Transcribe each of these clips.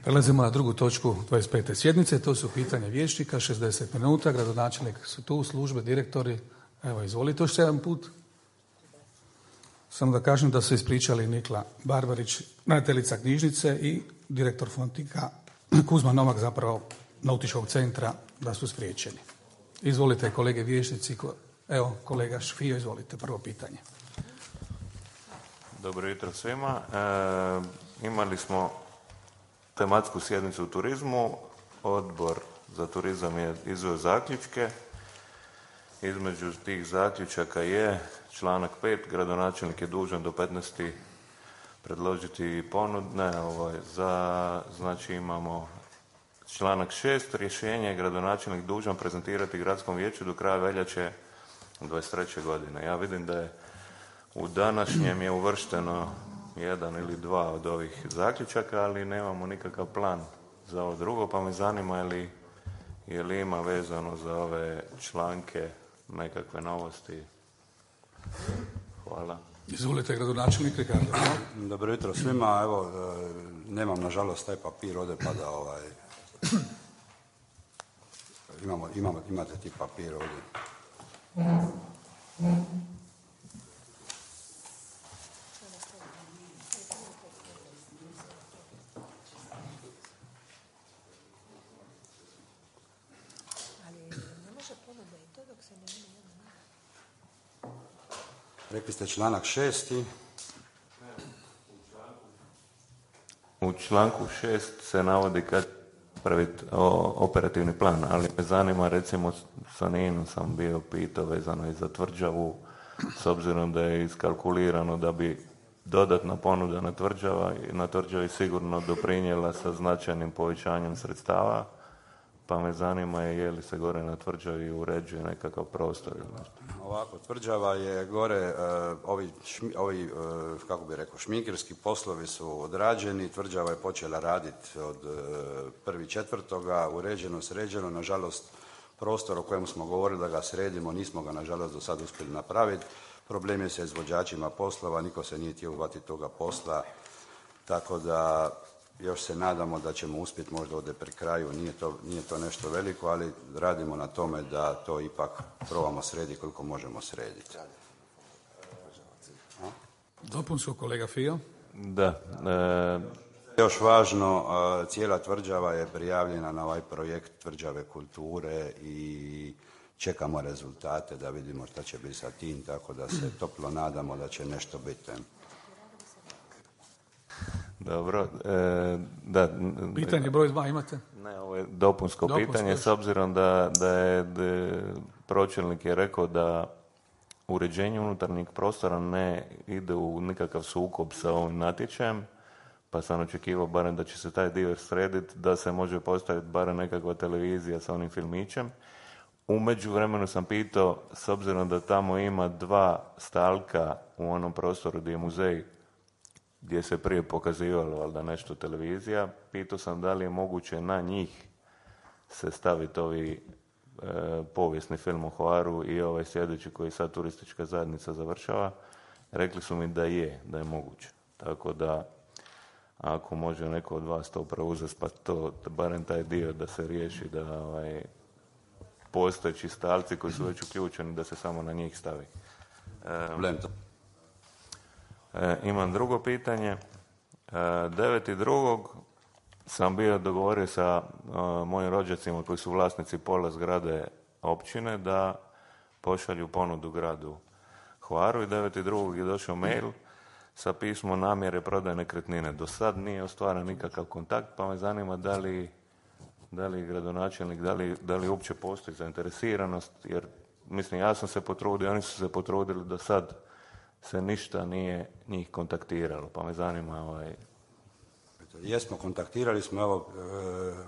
Prelazimo na drugu točku 25. sjednice, to su pitanja vijećnika, 60 minuta, gradonačelnik su tu, službe, direktori. Evo, izvolite još jedan put. Samo da kažem da su ispričali Nikla Barbarić, ravnateljica knjižnice i direktor Fontika Kuzma Novak, zapravo nautičkog centra, da su spriječeni. Izvolite kolege vijećnici. Evo, kolega Šfio, izvolite, prvo pitanje. Dobro jutro svima. Imali smo tematsku sjednicu u turizmu. Odbor za turizam je izveo zaključke. Između tih zaključaka je članak 5. Gradonačelnik je dužan do 15. predložiti ponude. Znači imamo članak 6. Rješenje je gradonačelnik dužan prezentirati gradskom vijeću do kraja veljače 23. godine. Ja vidim da je u današnjem je uvršteno jedan ili dva od ovih zaključaka, ali nemamo nikakav plan za ovo drugo, pa me zanima je li ima vezano za ove članke nekakve novosti. Hvala. Izvolite, gradonačelnik Ricardo. Dobro jutro svima. Evo, nemam nažalost taj papir ovdje, pa da imate ti papir ovdje. Rekli ste članak 6. U članku 6 se navodi kad praviti operativni plan, ali me zanima, recimo sa Ninom sam bio pitao vezano i za tvrđavu, s obzirom da je iskalkulirano da bi dodatna ponuda na tvrđavi sigurno doprinijela sa značajnim povećanjem sredstava, pa me zanima je li se gore na tvrđavi uređuje nekakav prostor ili nešto. Ovako, tvrđava je gore, ovi kako bi rekao, šminkerski poslovi su odrađeni, tvrđava je počela raditi od 1.4. uređeno, sređeno, nažalost prostor o kojem smo govorili da ga sredimo, nismo ga nažalost do sad uspjeli napraviti. Problem je sa izvođačima poslova, niko se nije htio uhvatiti toga posla, tako da još se nadamo da ćemo uspjeti možda ovdje pri kraju, nije to nešto veliko, ali radimo na tome da to ipak probamo srediti koliko možemo srediti. Dopunsko, kolega Fio. Da. Još važno, cijela tvrđava je prijavljena na ovaj projekt tvrđave kulture i čekamo rezultate da vidimo šta će biti sa tim, tako da se toplo nadamo da će nešto biti. Dobro, da. Pitanje broj 2 imate? Ne, ovo je dopunsko pitanje, s obzirom da je pročelnik je rekao da uređenje unutarnjeg prostora ne ide u nikakav sukob sa ovim natječajem, pa sam očekivao barem da će se taj dio srediti, da se može postaviti barem nekakva televizija sa onim filmićem. U međuvremenu sam pitao, s obzirom da tamo ima 2 stalka u onom prostoru gdje je muzej, gdje se prije pokazivalo valjda nešto televizija, pitao sam da li je moguće na njih se staviti ovi povijesni film o Hvaru i ovaj sljedeći koji sad turistička zajednica završava. Rekli su mi da je moguće. Tako da ako može neko od vas to preuzeti, pa to, barem taj dio da se riješi, da postojeći stalci koji su već uključeni, da se samo na njih stavi. Imam drugo pitanje. 9.2. sam bio dogovorio sa mojim rođacima koji su vlasnici pola zgrade općine da pošalju ponudu gradu Hvaru i 9.2. je došao mail sa pismom namjere prodaje nekretnine. Do sad nije ostvaren nikakav kontakt, pa me zanima da li gradonačelnik, da li uopće postoji zainteresiranost, jer mislim ja sam se potrudio, oni su se potrudili, do sad se ništa nije njih kontaktiralo, pa me zanima Jesmo, kontaktirali smo, evo,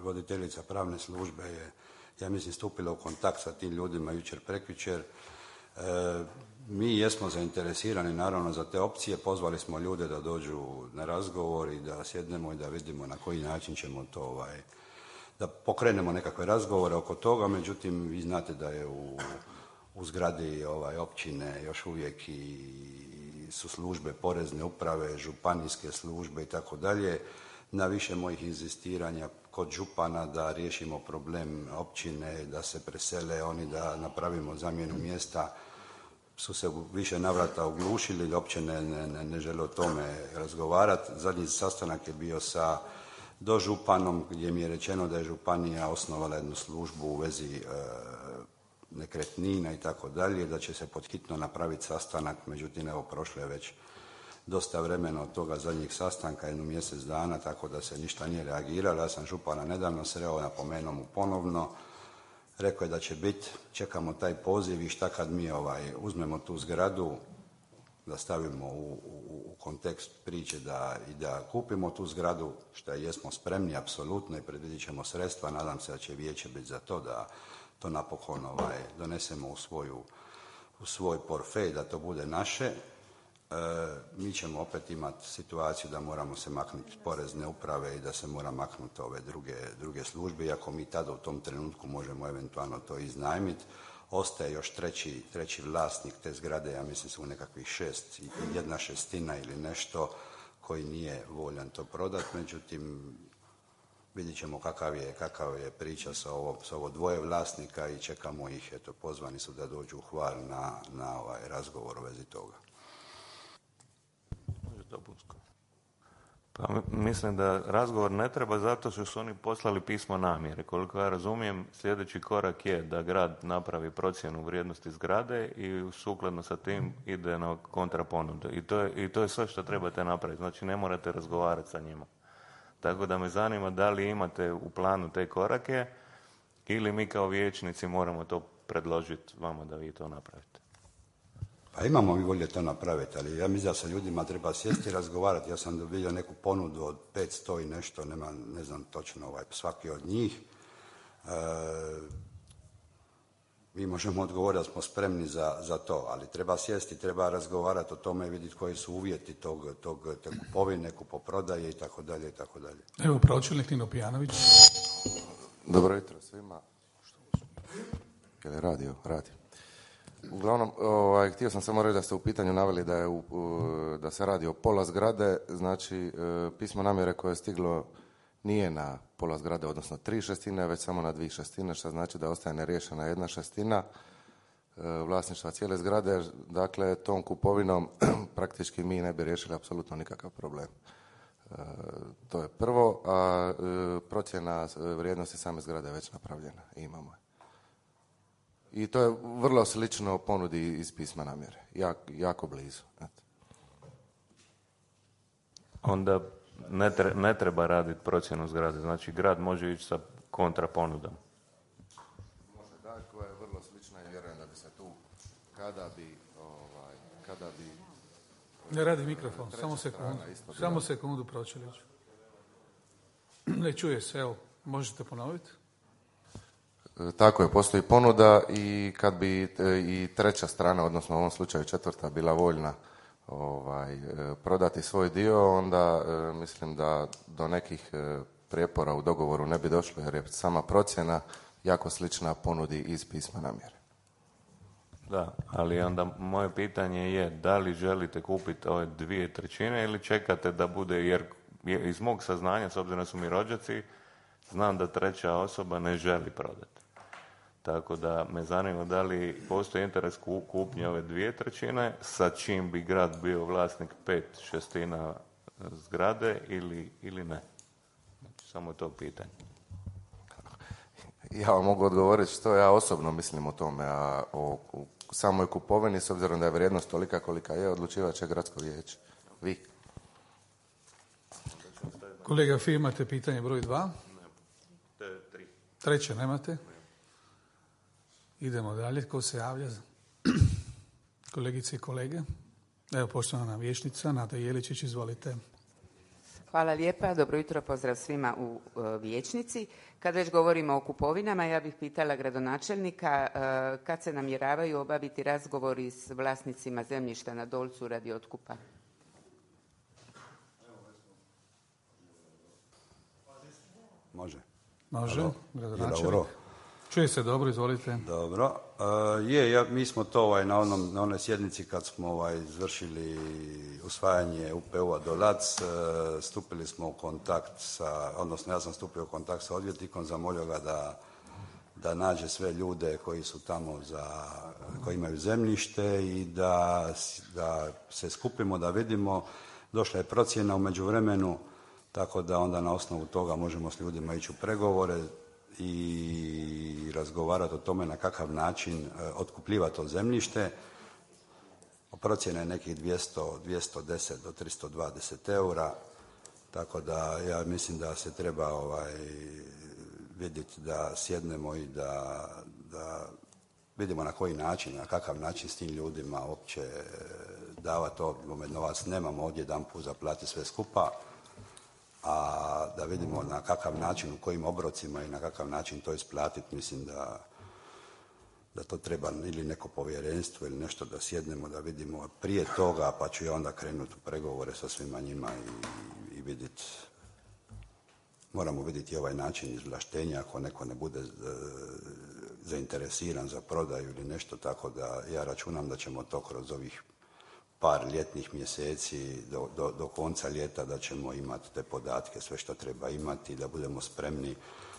voditeljica pravne službe je, ja mislim, stupila u kontakt sa tim ljudima jučer, prekjučer. Mi jesmo zainteresirani naravno za te opcije, pozvali smo ljude da dođu na razgovor i da sjednemo i da vidimo na koji način ćemo to, da pokrenemo nekakve razgovore oko toga, međutim vi znate da je u zgradi općine još uvijek i su službe porezne uprave, županijske službe i tako dalje. na više mojih inzistiranja kod župana da riješimo problem općine, da se presele oni, da napravimo zamjenu mjesta, su se u više navrata oglušili, uopće ne žele o tome razgovarati. Zadnji sastanak je bio sa dožupanom gdje mi je rečeno da je županija osnovala jednu službu u vezi nekretnina i tako dalje, da će se podhitno napraviti sastanak, međutim evo prošlo je već dosta vremena od toga zadnjeg sastanka, jedno mjesec dana, tako da se ništa nije reagiralo. Ja sam župana nedavno sreo, napomenuo mu ponovno, rekao je da će biti, čekamo taj poziv i šta kad mi uzmemo tu zgradu, da stavimo u kontekst priče da kupimo tu zgradu, što jesmo spremni apsolutno i predvidit ćemo sredstva, nadam se da će vijeće biti za to da to napokon donesemo u svoj portfelj, da to bude naše. Mi ćemo opet imati situaciju da moramo se maknuti porezne uprave i da se mora maknuti ove druge službe, iako mi tada u tom trenutku možemo eventualno to iznajmiti. Ostaje još treći vlasnik te zgrade, ja mislim su nekakvih 6, 1/6 ili nešto, koji nije voljan to prodati, međutim vidjet ćemo kakav je priča sa ovo dvoje vlasnika i čekamo ih, eto pozvani su da dođu u Hvar na razgovor u vezi toga. Pa mislim da razgovor ne treba zato što su oni poslali pismo namjere. Koliko ja razumijem, sljedeći korak je da grad napravi procjenu vrijednosti zgrade i sukladno sa tim ide na kontraponudu. I to je sve što trebate napraviti. Znači ne morate razgovarati sa njima. Tako da me zanima da li imate u planu te korake ili mi kao vijećnici moramo to predložiti vama da vi to napravite. Pa imamo mi volje to napraviti, ali ja mislim da sa ljudima treba sjesti i razgovarati. Ja sam dobio neku ponudu od 500 i nešto, ne znam točno svaki od njih. Mi možemo odgovoriti da smo spremni za to, ali treba sjesti, treba razgovarati o tome i vidjeti koji su uvjeti te kupovine, kupoprodaje i tako dalje i tako dalje. Evo, pročelnik Nino Pijanović. Dobro jutro svima. Je li radio? Radi. Uglavnom, htio sam samo reći da ste u pitanju naveli da se radi o pola zgrade, znači pismo namjere koje je stiglo nije na pola zgrade, odnosno 3/6, već samo na 2/6, što znači da ostaje neriješena 1/6 vlasništva cijele zgrade. Dakle, tom kupovinom praktički mi ne bi riješili apsolutno nikakav problem. To je prvo, a procjena vrijednosti same zgrade je već napravljena i imamo je. I to je vrlo slično ponudi iz pisma namjere. Jako blizu. Onda ne treba raditi procjenu zgrade. Znači grad može ići sa kontraponudom. Može da, koja je vrlo slična i vjerujem da bi se tu kada bi ne radi mikrofon, samo sekundu pročeliću. Ne čuje se, evo, možete ponoviti? Tako je, postoji ponuda i kad bi i treća strana, odnosno u ovom slučaju četvrta, bila voljna prodati svoj dio, onda mislim da do nekih prijepora u dogovoru ne bi došlo, jer je sama procjena jako slična ponudi iz pisma namjere. Da, ali onda moje pitanje je da li želite kupiti ove 2/3 ili čekate da bude, jer iz mog saznanja, s obzirom da su mi rođaci, znam da treća osoba ne želi prodati. Tako da me zanima da li postoji interes kupnje ove 2/3 sa čim bi grad bio vlasnik 5/6 zgrade ili ne. Znači, samo to pitanje. Ja vam mogu odgovoriti što ja osobno mislim o tome, a o samoj kupovini, s obzirom da je vrijednost tolika kolika je, odlučivat će gradsko vijeće. Vi. Kolega Fi, imate pitanje broj 2? Ne, 3. Treće nemate? Idemo dalje. Ko se javlja? Kolegice i kolege. Evo, poštovana vijećnica Nada Jeličić, izvolite. Hvala lijepa. Dobro jutro, pozdrav svima u vijećnici. Kad već govorimo o kupovinama, ja bih pitala gradonačelnika kad se namjeravaju obaviti razgovori s vlasnicima zemljišta na Dolcu radi otkupa. Može. Može, gradonačelnik. Čuje se dobro, izvolite. Dobro. Mi smo to na onoj sjednici kad smo izvršili usvajanje UPU-a Dolac, stupili smo u kontakt odnosno ja sam stupio u kontakt sa odvjetnikom, zamolio ga da nađe sve ljude koji su tamo koji imaju zemljište i da se skupimo, da vidimo. Došla je procjena u međuvremenu, tako da onda na osnovu toga možemo s ljudima ići u pregovore i razgovarati o tome na kakav način otkupljivati to zemljište. Procjena je nekih 210 do 320 eura, tako da ja mislim da se treba vidjeti da sjednemo i da vidimo na koji način, na kakav način s tim ljudima uopće davati novac. Nemamo ovdje jedanput zaplatiti sve skupa, a da vidimo na kakav način, u kojim obrocima i na kakav način to isplatiti. Mislim da to treba ili neko povjerenstvo ili nešto da sjednemo, da vidimo prije toga, pa ću ja onda krenuti u pregovore sa svima njima i vidjeti. Moramo vidjeti ovaj način izvlaštenja, ako neko ne bude zainteresiran za prodaju ili nešto, tako da ja računam da ćemo to kroz ovih par ljetnih mjeseci do konca ljeta da ćemo imati te podatke, sve što treba imati, da budemo spremni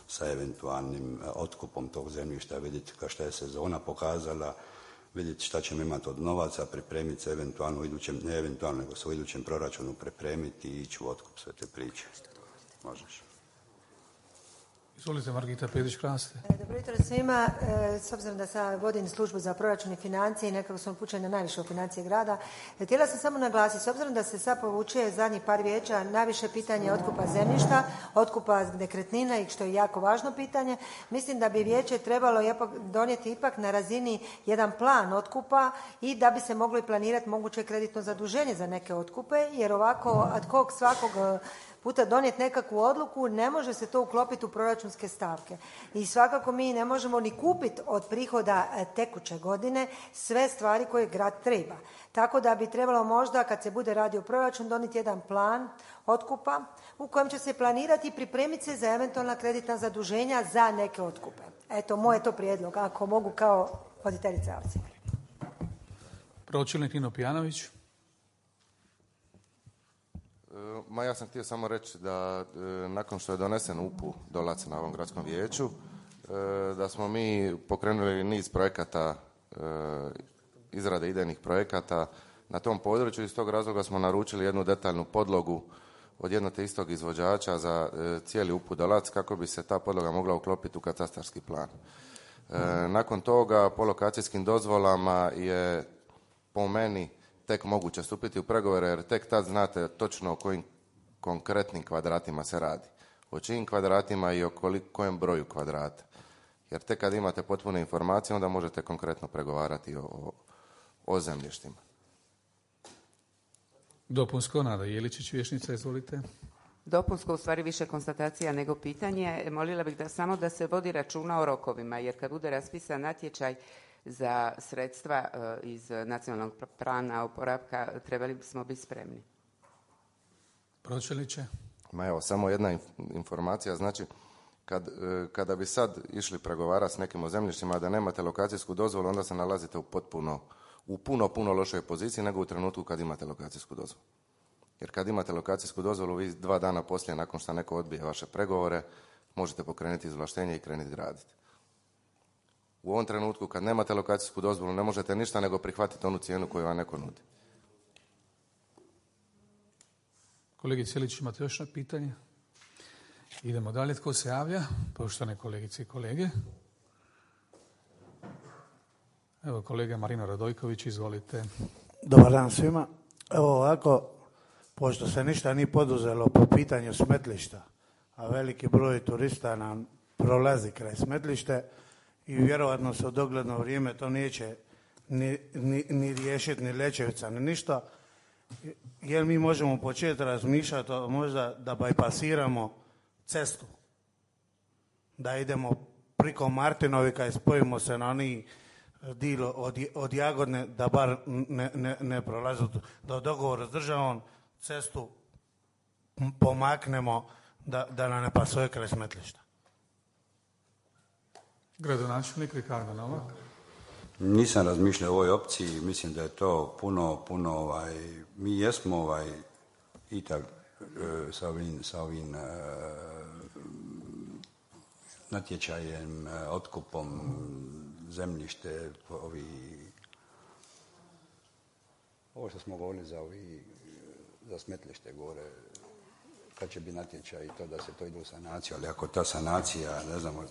sa eventualnim otkupom tog zemljišta, vidjeti šta je sezona pokazala, vidjeti šta ćemo imati od novaca, pripremiti se eventualno, ne eventualno, nego se u idućem proračunu pripremiti i ići u otkup sve te priče. Možeš. Izvolite, Margita Pedić-Kraste. Dobro jutro svima. S obzirom da sam vodim službu za proračun i financije i nekako sam upućena najviše u financije grada, htjela sam samo naglasiti, s obzirom da se sad povuče zadnjih par vijeća najviše pitanje otkupa zemljišta, otkupa nekretnina i što je jako važno pitanje, mislim da bi vijeće trebalo donijeti ipak na razini jedan plan otkupa i da bi se moglo i planirati moguće kreditno zaduženje za neke otkupe, jer ovako ad hoc svakog puta donijeti nekakvu odluku, ne može se to uklopiti u proračunske stavke. I svakako mi ne možemo ni kupiti od prihoda tekuće godine sve stvari koje grad treba. Tako da bi trebalo možda, kad se bude radio proračun, donijeti jedan plan otkupa u kojem će se planirati i pripremiti se za eventualna kreditna zaduženja za neke otkupe. Eto, moj je to prijedlog, ako mogu kao voditeljica akcije. Pročelnik Nino Pijanović. Ja sam htio samo reći da nakon što je donesen UPU Dolac na ovom gradskom vijeću, da smo mi pokrenuli niz projekata, izrade idejnih projekata na tom području. Iz tog razloga smo naručili jednu detaljnu podlogu od jednog te istog izvođača za cijeli UPU Dolac kako bi se ta podloga mogla uklopiti u katastarski plan. Nakon toga po lokacijskim dozvolama je po meni tek moguće stupiti u pregovore, jer tek tad znate točno o kojim konkretnim kvadratima se radi. O čijim kvadratima i o kojem broju kvadrata. Jer tek kad imate potpune informacije, onda možete konkretno pregovarati o zemljištima. Dopunsko, Nada Jeličić, vijećnica, izvolite. Dopunsko, u stvari više konstatacija nego pitanje. Molila bih da se vodi računa o rokovima, jer kad bude raspisan natječaj za sredstva iz nacionalnog plana oporavka, trebali bismo biti spremni. Pročelniče? Evo, samo jedna informacija. Znači, kada bi sad išli pregovarati s nekim o zemljištima, da nemate lokacijsku dozvolu, onda se nalazite u puno lošoj poziciji nego u trenutku kad imate lokacijsku dozvolu. Jer kad imate lokacijsku dozvolu, vi 2 dana poslije, nakon što neko odbije vaše pregovore, možete pokrenuti izvlaštenje i krenuti graditi. U ovom trenutku, kad nemate lokacijsku dozvolu, ne možete ništa nego prihvatiti onu cijenu koju vam neko nudi. Kolegice Ilić, imate još jedno pitanje? Idemo dalje. Tko se javlja? Poštovane kolegice i kolege. Evo, kolega Marino Radojković, izvolite. Dobar dan svima. Evo ovako, pošto se ništa nije poduzelo po pitanju smetlišta, a veliki broj turista nam prolazi kraj smetlište i vjerovatno se u dogledno vrijeme to neće ni riješiti, ni Lećevica, ni ništa. Jer mi možemo početi razmišljati možda da bajpasiramo cestu, da idemo priko Martinovika i spojimo se na oni dio od Jagodne, da bar ne prolazi do dogovora s državom, cestu pomaknemo da nam ne pasuje kraj smetlišta. Gradonačelnik Ricardo Novak. Nisam razmišljao o ovoj opciji, mislim da je to puno mi jesmo i tak sa ovim natječajem, otkupom zemljište, ovo što smo govorili za smetlište gore, kad će biti natječaj i to da se to ide u sanaciju, ali ako ta sanacija, ne znamo,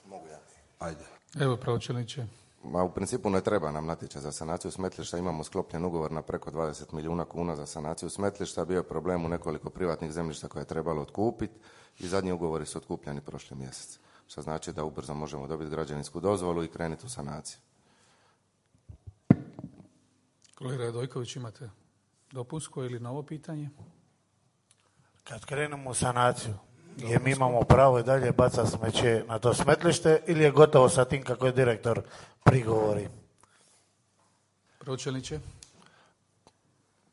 mogu ja. Ajde. Evo, pročelniče. Ma u principu ne treba nam natječaj za sanaciju smetlišta, imamo sklopljen ugovor na preko 20 milijuna kuna za sanaciju smetlišta, bio je problem u nekoliko privatnih zemljišta koje je trebalo otkupiti i zadnji ugovori su otkupljeni prošli mjesec, što znači da ubrzo možemo dobiti građevinsku dozvolu i krenuti u sanaciju. Kolega Radojković, imate dopunsko ili novo pitanje? Kad krenemo u sanaciju, je mi imamo pravo i dalje bacati smeće na to smetlište ili je gotovo sa tim kako je direktor prigovori? Pročelniče?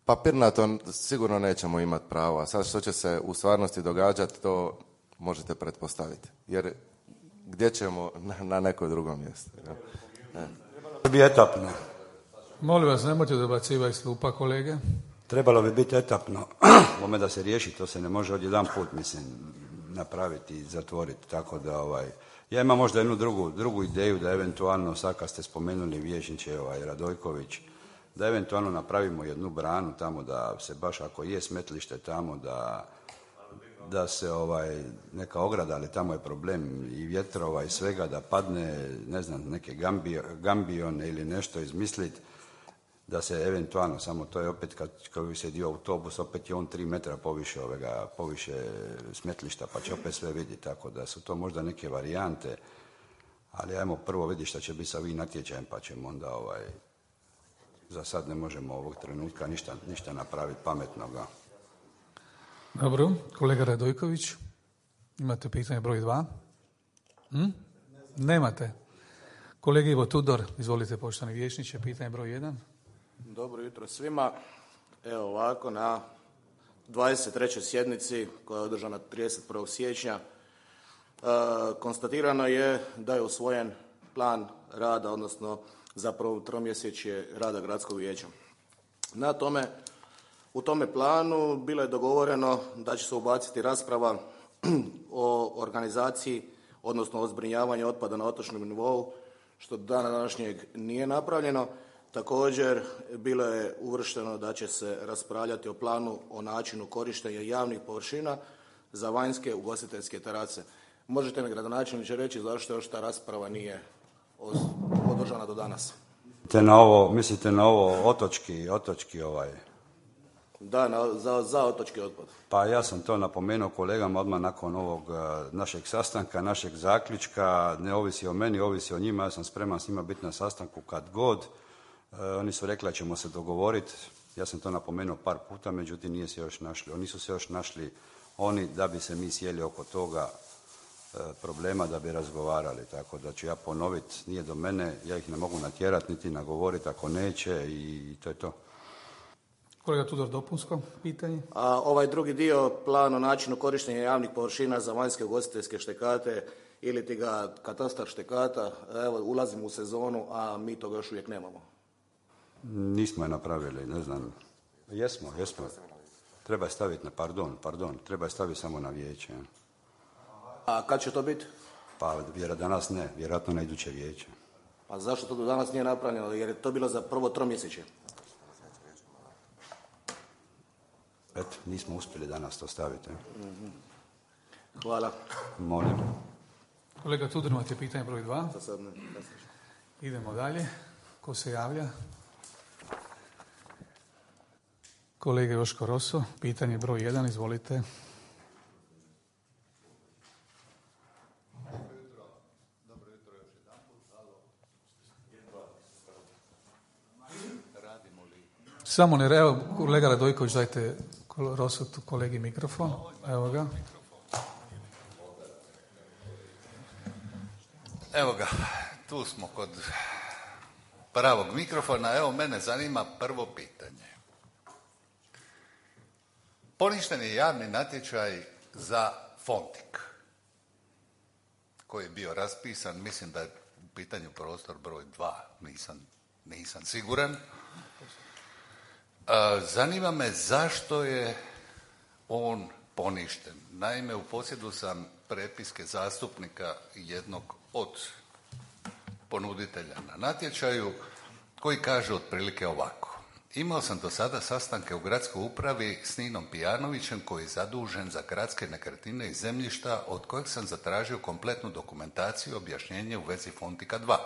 Papirnato sigurno nećemo imati pravo, a sad što će se u stvarnosti događati, to možete pretpostaviti. Jer gdje ćemo na neko drugo mjesto? Trebalo bi etapno. Molim vas, nemojte dobacivati iz klupa, kolege. Trebalo bi biti etapno, ome da se riješi, to se ne može odjedan put, mislim, napraviti i zatvoriti, tako da ja imam možda jednu drugu ideju da eventualno, sad kad ste spomenuli vijećniče Radojković, da eventualno napravimo jednu branu tamo da se baš ako je smetlište tamo da se neka ograda, ali tamo je problem i vjetrova i svega, da padne, ne znam, neke gambione ili nešto izmisliti, da se eventualno, samo to je opet kad bi se dio autobus, opet je on 3 metra poviše smetlišta, pa će opet sve vidjeti, tako da su to možda neke varijante, ali ajmo prvo vidjeti šta će biti sa ovim natječajem, pa ćemo onda za sad ne možemo ovog trenutka ništa napraviti pametnoga. Dobro, kolega Radojković, imate pitanje broj 2? Nemate. Kolega Ivo Tudor, izvolite poštovani vijećniče, pitanje broj 1. Dobro jutro svima. Evo ovako, na 23. sjednici koja je održana 31. siječnja konstatirano je da je usvojen plan rada, odnosno zapravo tromjesečje rada gradskog vijeća. U tome planu bilo je dogovoreno da će se ubaciti rasprava o organizaciji, odnosno o zbrinjavanju otpada na otočnom nivou, što do dana današnjeg nije napravljeno. Također, bilo je uvršteno da će se raspravljati o planu o načinu korištenja javnih površina za vanjske ugostiteljske terase. Možete mi, gradonačelniče, reći zašto još ta rasprava nije održana do danas? Mislite na ovo otočki Da, za otočki otpad. Pa ja sam to napomenuo kolegama odmah nakon ovog našeg sastanka, našeg zaključka, ne ovisi o meni, ovisi o njima, ja sam spreman s njima biti na sastanku kad god. Oni su rekli da ćemo se dogovoriti, ja sam to napomenuo par puta, međutim nisu se još našli oni da bi se mi sjeli oko toga problema da bi razgovarali, tako da ću ja ponoviti, nije do mene, ja ih ne mogu natjerati niti nagovoriti ako neće i to je to. Kolega Tudor, dopunsko pitanje? A ovaj drugi dio, plan o načinu korištenja javnih površina za vanjske ugostiteljske štekate ili ti ga katastar štekata, evo ulazimo u sezonu, a mi toga još uvijek nemamo. Nismo je napravili, ne znam. Jesmo. Treba je staviti na, treba je staviti samo na vijeće. A kad će to biti? Pa danas ne, vjerojatno na iduće vijeće. A zašto to do danas nije napravljeno? Jer je to bilo za prvo tromjesečje. Eto, nismo uspjeli danas to staviti. Hvala. Molim. Kolega Tudor, imate pitanje broj 2? Za sad ne. Idemo dalje. Ko se javlja? Kolega Joško Roso, pitanje broj 1, izvolite. Dobro jutro još jedanput. Radimo li? Samo ne, evo, kolega Radojković, dajte Roso kolegi mikrofon. Evo ga. Evo ga, tu smo kod pravog mikrofona. Evo, mene zanima prvo pitanje. Poništen je javni natječaj za Fontik. koji je bio raspisan, mislim da je u pitanju prostor broj 2, nisam siguran. Zanima me zašto je on poništen. Naime, u posjedu sam prepiske zastupnika jednog od ponuditelja na natječaju koji kaže otprilike ovako. Imao sam do sada sastanke u gradskoj upravi s Ninom Pijanovićem koji je zadužen za gradske nekretnine i zemljišta od kojeg sam zatražio kompletnu dokumentaciju i objašnjenje u vezi Fontika 2.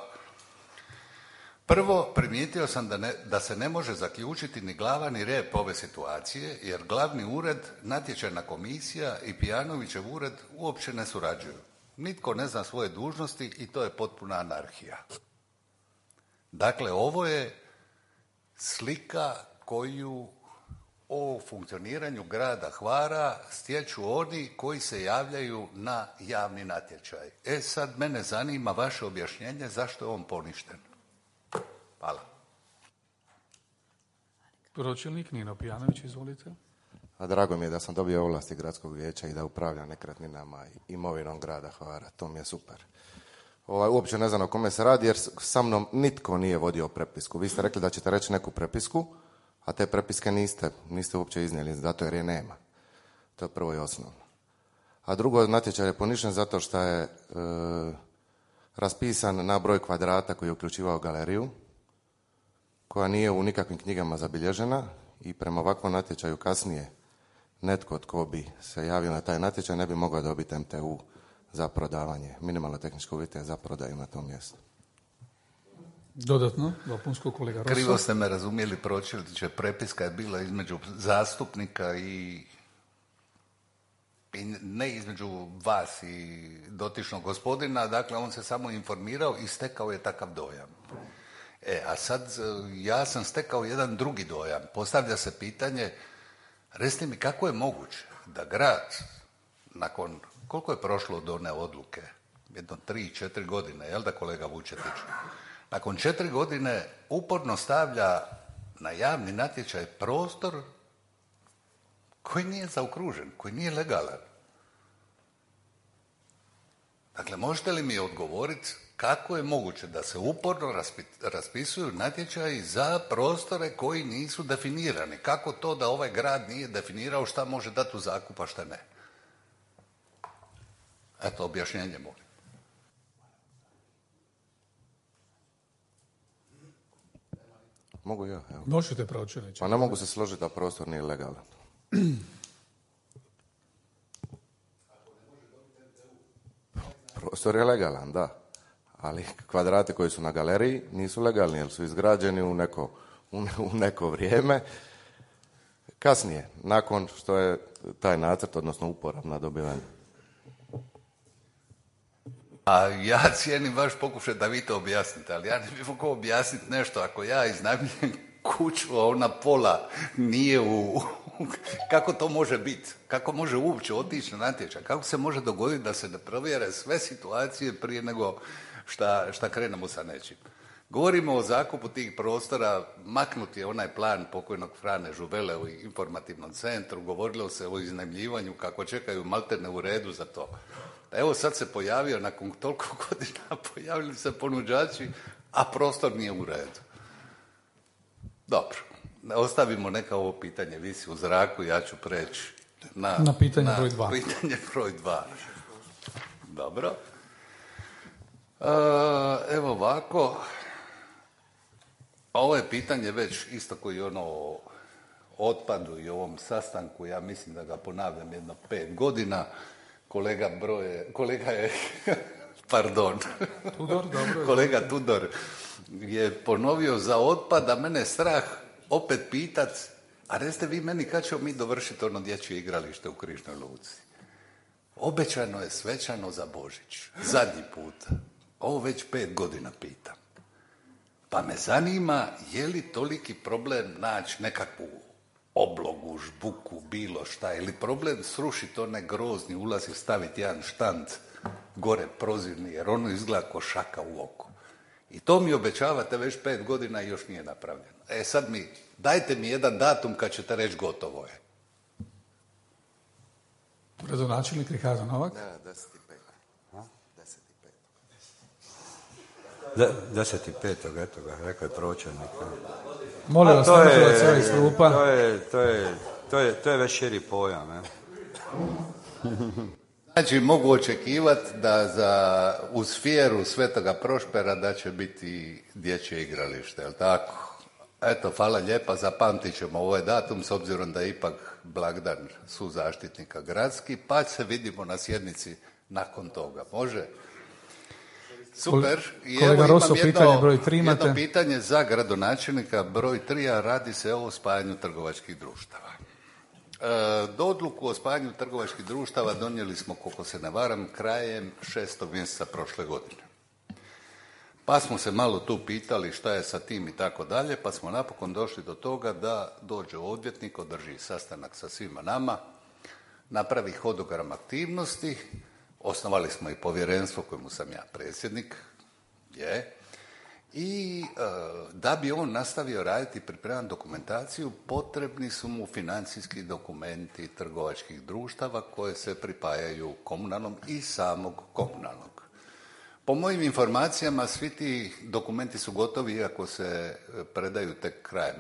Prvo, primijetio sam da se ne može zaključiti ni glava ni rep ove situacije, jer glavni ured, natječajna komisija i Pijanovićev ured uopće ne surađuju. Nitko ne zna svoje dužnosti i to je potpuna anarhija. Dakle, ovo je slika koju o funkcioniranju grada Hvara stječu oni koji se javljaju na javni natječaj. Sad mene zanima vaše objašnjenje zašto je on poništen. Hvala. Pročelnik Nino Pijanović, izvolite. A drago mi je da sam dobio ovlasti gradskog vijeća i da upravljam nekretninama i imovinom grada Hvara. To mi je super. Uopće ne znam o kome se radi jer sa mnom nitko nije vodio prepisku. Vi ste rekli da ćete reći neku prepisku, a te prepiske niste uopće iznijeli, zato jer je nema. To je prvo i osnovno. A drugo, natječaj je poništen zato što je raspisan na broj kvadrata koji je uključivao galeriju, koja nije u nikakvim knjigama zabilježena i prema ovakvom natječaju kasnije netko tko bi se javio na taj natječaj ne bi mogao dobiti MTU za prodavanje, minimalno tehničke uvjete za prodaju na tom mjestu. Dodatno, dopunsko, kolega Rosa. Krivo ste me razumjeli, pročelniče, prepiska je bila između zastupnika i ne između vas i dotičnog gospodina, dakle on se samo informirao i stekao je takav dojam. A sad ja sam stekao jedan drugi dojam. Postavlja se pitanje, recite mi kako je moguće da grad nakon, koliko je prošlo od one odluke? Jedno 3-4 godine, jel da kolega Vučetić? Nakon 4 godine uporno stavlja na javni natječaj prostor koji nije zaokružen, koji nije legalan. Dakle, možete li mi odgovoriti kako je moguće da se uporno raspisuju natječaji za prostore koji nisu definirani? Kako to da ovaj grad nije definirao šta može dati u zakup, a šta ne? Eto, objašnjenje molim. Mogu ja, evo. Možete pročelniče. Pa ne mogu se složiti da prostor nije legalan. Prostor je legalan, da. Ali kvadrati koji su na galeriji nisu legalni jer su izgrađeni u neko vrijeme. Kasnije, nakon što je taj nacrt, odnosno uporabna dobiven. A ja cijenim vaš pokušaj da vi to objasnite, ali ja ne bih mogao objasniti nešto ako ja iznajmljujem kuću, a ona pola nije kako to može biti? Kako može uopće otići na natječaj? Kako se može dogoditi da se ne provjere sve situacije prije nego šta krenemo sa nečim? Govorimo o zakupu tih prostora, maknut je onaj plan pokojnog Frane Žuvele u informativnom centru, govorilo se o iznajmljivanju, kako čekaju maltene u redu za to. Evo sad se pojavio, nakon toliko godina pojavili se ponuđači, a prostor nije u redu. Dobro, ostavimo neka ovo pitanje visi u zraku, ja ću preći na pitanje broj 2. Pitanje broj 2. Dobro. Evo ovako, ovo je pitanje već isto koji ono o otpadu i ovom sastanku, ja mislim da ga ponavljam jedno 5 godina. Kolega Tudor je ponovio za otpad, a mene strah opet pitat, a recite vi meni kad ćemo mi dovršiti ono dječje igralište u Križnoj Luci? Obećano je svečano za Božić, zadnji puta. Ovo već 5 godina pitam. Pa me zanima je li toliki problem naći nekakvu oblogu, žbuku, bilo šta, ili problem srušiti onaj grozni ulaz i staviti jedan štand gore prozirni, jer ono izgleda ko šaka u oko. I to mi obećavate već 5 godina i još nije napravljeno. Sad dajte mi jedan datum kad ćete reći gotovo je. Gradonačelnik Ricardo Novak. Ne, 10.5. 10.5. eto ga, rekao je pročelnik. Molim vas, nemojte se iz klupa. To je već širi pojam. Znači, mogu očekivati da u sferu Svetoga Prošpera da će biti dječje igralište, jel tako? Eto, hvala lijepa, zapamtit ćemo ovaj datum s obzirom da je ipak blagdan suzaštitnika gradski, pa se vidimo na sjednici nakon toga. Može? Super. I kolega evo Rosso, imam pitanje broj 3 imate. jedno pitanje za gradonačelnika broj 3, a radi se o spajanju trgovačkih društava. Do odluku o spajanju trgovačkih društava donijeli smo, koliko se ne varam, krajem 6. mjeseca prošle godine. Pa smo se malo tu pitali šta je sa tim i tako dalje, pa smo napokon došli do toga da dođe odvjetnik, održi sastanak sa svima nama, napravi hodogram aktivnosti, osnovali smo i povjerenstvo kojemu sam ja predsjednik, i da bi on nastavio raditi i pripremati dokumentaciju, potrebni su mu financijski dokumenti trgovačkih društava koje se pripajaju komunalnom i samog komunalnog. Po mojim informacijama, svi ti dokumenti su gotovi, iako se predaju tek krajem,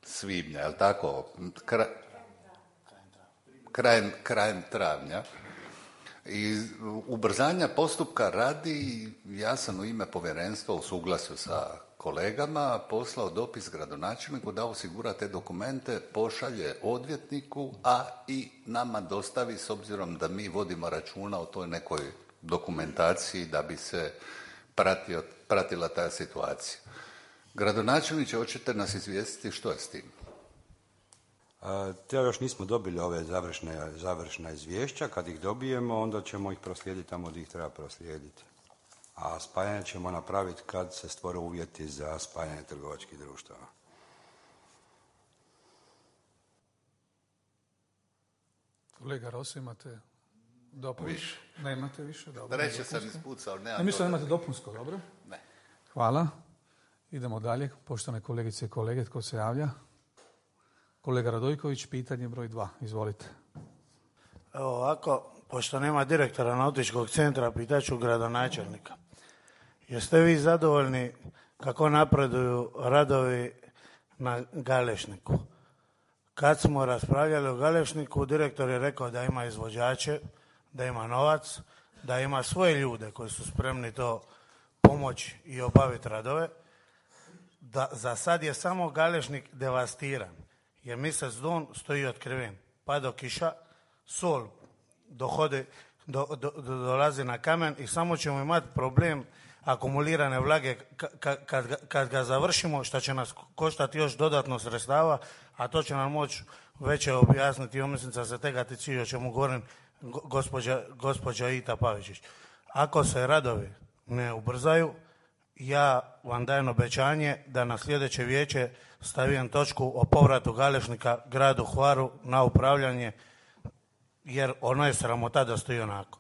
svibnja, je li tako? Krajem travnja. I ubrzanja postupka radi, ja sam u ime povjerenstva u suglasju sa kolegama poslao dopis gradonačelniku da osigura te dokumente, pošalje odvjetniku, a i nama dostavi, s obzirom da mi vodimo računa o toj nekoj dokumentaciji da bi se pratila ta situacija. Gradonačelniče, hoćete nas izvijestiti što je s tim? Još nismo dobili ove završna izvješća. Kad ih dobijemo, onda ćemo ih proslijediti tamo gdje ih treba proslijediti. A spajanje ćemo napraviti kad se stvore uvjeti za spajanje trgovačkih društava. Kolega Rosso, imate dopunsko? Više. Nemate više? Dobro. Treće sam ispucao. Ne mislim da imate dopunsko, dobro? Ne. Hvala. Idemo dalje. Poštovane kolegice i kolege, tko se javlja? Kolega Radojković, pitanje broj 2. Izvolite. Evo ovako, pošto nema direktora nautičkog centra, pitaću gradonačelnika. Jeste vi zadovoljni kako napreduju radovi na Galešniku? Kad smo raspravljali o Galešniku, direktor je rekao da ima izvođače, da ima novac, da ima svoje ljude koji su spremni to pomoći i obaviti radove. Da za sad je samo Galešnik devastiran. Jer mjesec don stoji otkriven. Pada kiša, sol dolazi na kamen i samo ćemo imati problem akumulirane vlage kad ga završimo, što će nas koštati još dodatno sredstava, a to će nam moći veće objasniti omisnica se tegati cilj, o čemu govorim gospođa Ita Pavičić. Ako se radovi ne ubrzaju, ja vam dajem obećanje da na sljedeće vijeće stavim točku o povratu Galešnika gradu Hvaru na upravljanje, jer ono je sramota da stoji onako.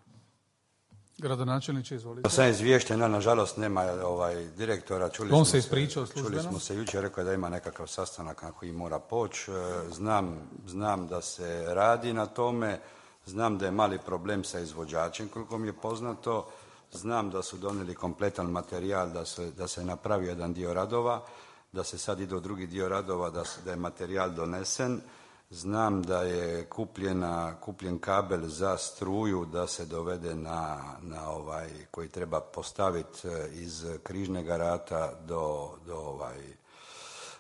Gradonačelniče, izvolite. To sam izvješten, nažalost nema direktora. On se ispričao službeno. Čuli smo se jučer, rekao da ima nekakav sastanak na koji mora poći. Znam da se radi na tome, znam da je mali problem sa izvođačem, koliko mi je poznato. Znam da su donijeli kompletan materijal, da se napravi jedan dio radova, da se sad ide u drugi dio radova, da je materijal donesen. Znam da je kupljen kabel za struju da se dovede koji treba postaviti iz Križnega rata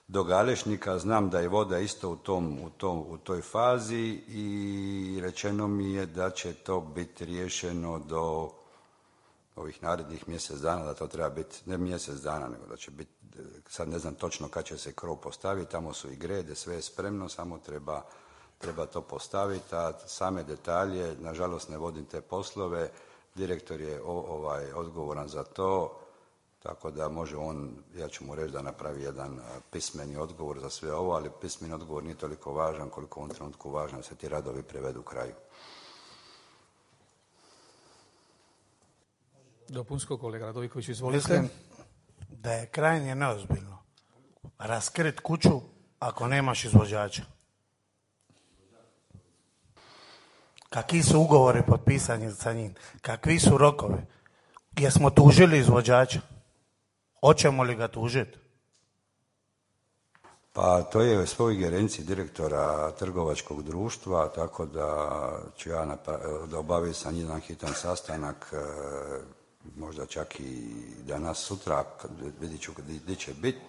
do Galešnika. Znam da je voda isto u toj fazi i rečeno mi je da će to biti riješeno do ovih narednih mjesec dana, da to treba biti, ne mjesec dana, nego da će biti, sad ne znam točno kad će se krov postaviti, tamo su i grede, sve je spremno, samo treba to postaviti, a same detalje, nažalost ne vodim te poslove, direktor je odgovoran za to, tako da može on, ja ću mu reći da napravi jedan pismeni odgovor za sve ovo, ali pismeni odgovor nije toliko važan koliko u ovom trenutku važno da se ti radovi prevedu kraju. Dopunsko, kolega Radojković, izvolite. Mislim da je krajnje neozbiljno raskrit kuću ako nemaš izvođača. Kakvi su ugovori potpisani sa njim? Kakvi su rokovi? Jesmo tužili izvođača? Hoćemo li ga tužiti? Pa to je sve u ingerenciji direktora trgovačkog društva, tako da ću ja da obavim sa njim jedan hitan sastanak, možda čak i danas sutra, vidit ću gdje će biti,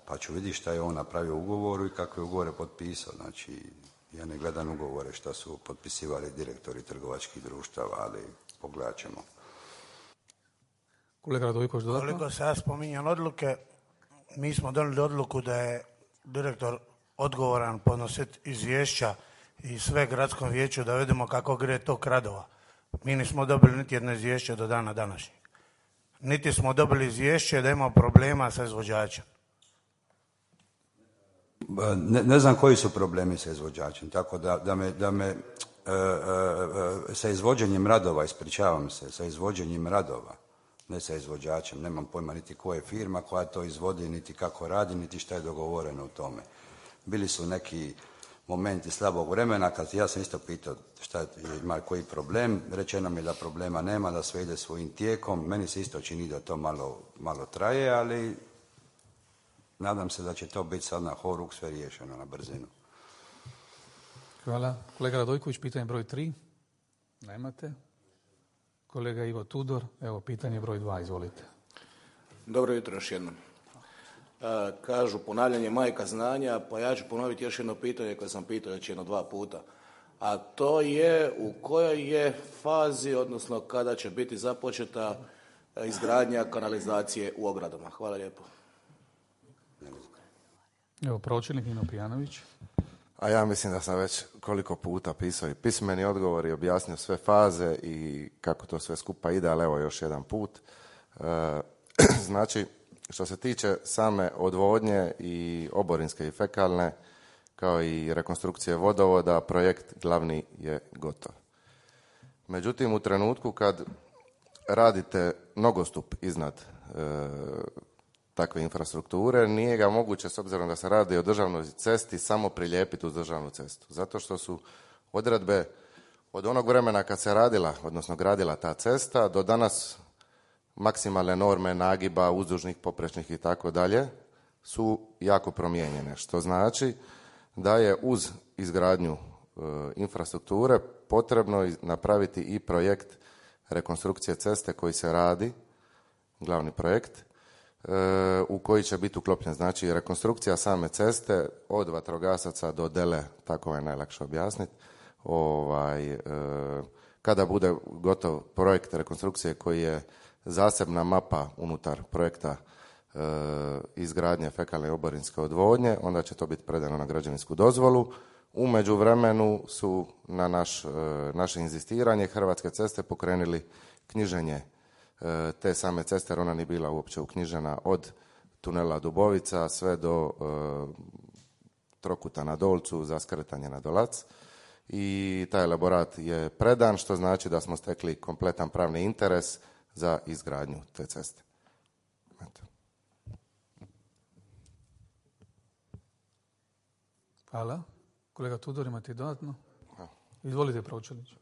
pa ću vidjeti šta je on napravio u ugovoru i kakve ugovore potpisao. Znači, ja ne gledam ugovore što su potpisivali direktori trgovačkih društava, ali pogledat ćemo. Kolega Radojković, dodatno? Koliko se ja spominjam odluke, mi smo donijeli odluku da je direktor odgovoran podnositi izvješća i sve gradskom vijeću da vidimo kako gre tok radova. Mi nismo dobili niti jedno izvješće do dana današnjeg. Niti smo dobili izvješće da ima problema sa izvođačem. Ne znam koji su problemi sa izvođačem, tako da me sa izvođenjem radova, ispričavam se, sa izvođenjem radova, ne sa izvođačem, nemam pojma niti koja je firma koja to izvodi, niti kako radi, niti šta je dogovoreno u tome. Bili su neki momenti slabog vremena, kad ja sam isto pitao šta ima koji problem, rečeno mi da problema nema, da sve ide svojim tijekom, meni se isto čini da to malo traje, ali nadam se da će to biti sad na horuk sve riješeno na brzinu. Hvala. Kolega Radojković, pitanje broj 3. Nemate. Kolega Ivo Tudor, evo pitanje broj 2, izvolite. Dobro jutro još jednom. Kažu ponavljanje majka znanja, pa ja ću ponoviti još jedno pitanje koje sam pitao već 1-2 puta. A to je u kojoj je fazi, odnosno kada će biti započeta izgradnja kanalizacije u ogradama. Hvala lijepo. Evo, pročelnik Nino Pijanović. A ja mislim da sam već koliko puta pisao i pismeni odgovor i objasnio sve faze i kako to sve skupa ide, ali evo još jedan put. Znači, što se tiče same odvodnje i oborinske i fekalne, kao i rekonstrukcije vodovoda, projekt glavni je gotov. Međutim, u trenutku kad radite nogostup iznad takve infrastrukture, nije ga moguće, s obzirom da se radi o državnoj cesti, samo prilijepiti uz državnu cestu. Zato što su odredbe od onog vremena kad se radila, odnosno gradila ta cesta, do danas maksimalne norme nagiba, uzdužnih, poprečnih i tako dalje, su jako promijenjene. Što znači da je uz izgradnju infrastrukture potrebno napraviti i projekt rekonstrukcije ceste koji se radi, glavni projekt, u koji će biti uklopljen. Znači, rekonstrukcija same ceste od vatrogasaca do Dele, tako je najlakše objasniti. Kada bude gotov projekt rekonstrukcije koji je zasebna mapa unutar projekta izgradnje fekalne i oborinske odvodnje, onda će to biti predano na građevinsku dozvolu. U međuvremenu su na naše inzistiranje Hrvatske ceste pokrenuli knjiženje te same ceste, jer ona nije bila uopće uknjižena od tunela Dubovica sve do trokuta na Dolcu za skretanje na Dolac. I taj elaborat je predan, što znači da smo stekli kompletan pravni interes za izgradnju te ceste. Eto. Hvala. Kolega Tudor, imate dodatno? Izvolite, pročelniče.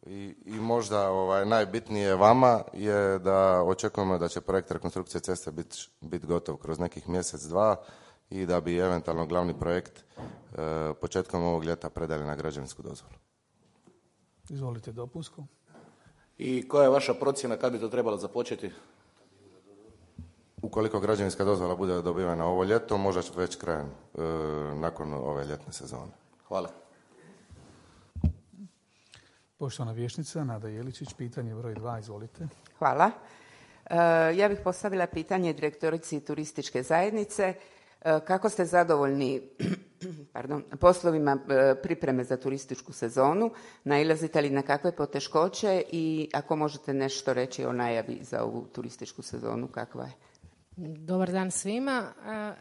I možda najbitnije vama je da očekujemo da će projekt rekonstrukcije ceste biti gotov kroz nekih mjesec, 2 i da bi eventualno glavni projekt početkom ovog ljeta predali na građevinsku dozvolu. Izvolite, dopunsko. I koja je vaša procjena kad bi to trebalo započeti? Ukoliko građevinska dozvola bude dobivena ovo ljeto, možda već krajem nakon ove ljetne sezone. Hvala. Poštovana vijećnica Nada Jeličić, pitanje broj 2, izvolite. Hvala. Ja bih postavila pitanje direktorici turističke zajednice. Kako ste zadovoljni poslovima pripreme za turističku sezonu? Nailazite li na kakve poteškoće i ako možete nešto reći o najavi za ovu turističku sezonu, kakva je? Dobar dan svima.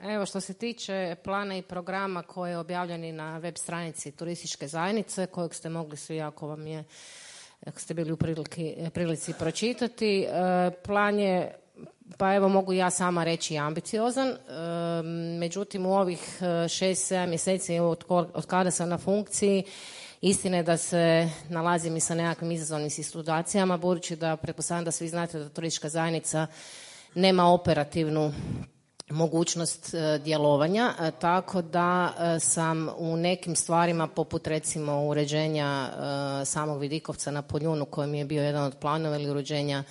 Evo, što se tiče plana i programa koji je objavljeni na web stranici turističke zajednice, kojeg ste mogli svi, ako ste bili u prilici pročitati, plan je, pa evo mogu ja sama reći, ambiciozan. Međutim, u ovih 6-7 mjeseci od kada sam na funkciji, istina je da se nalazim i sa nekakvim izazovnim situacijama, budući da pretpostavljam da svi znate da turistička zajednica nema operativnu mogućnost djelovanja, tako da sam u nekim stvarima, poput recimo uređenja samog Vidikovca na Poljunu, koji mi je bio jedan od planova, ili uređenja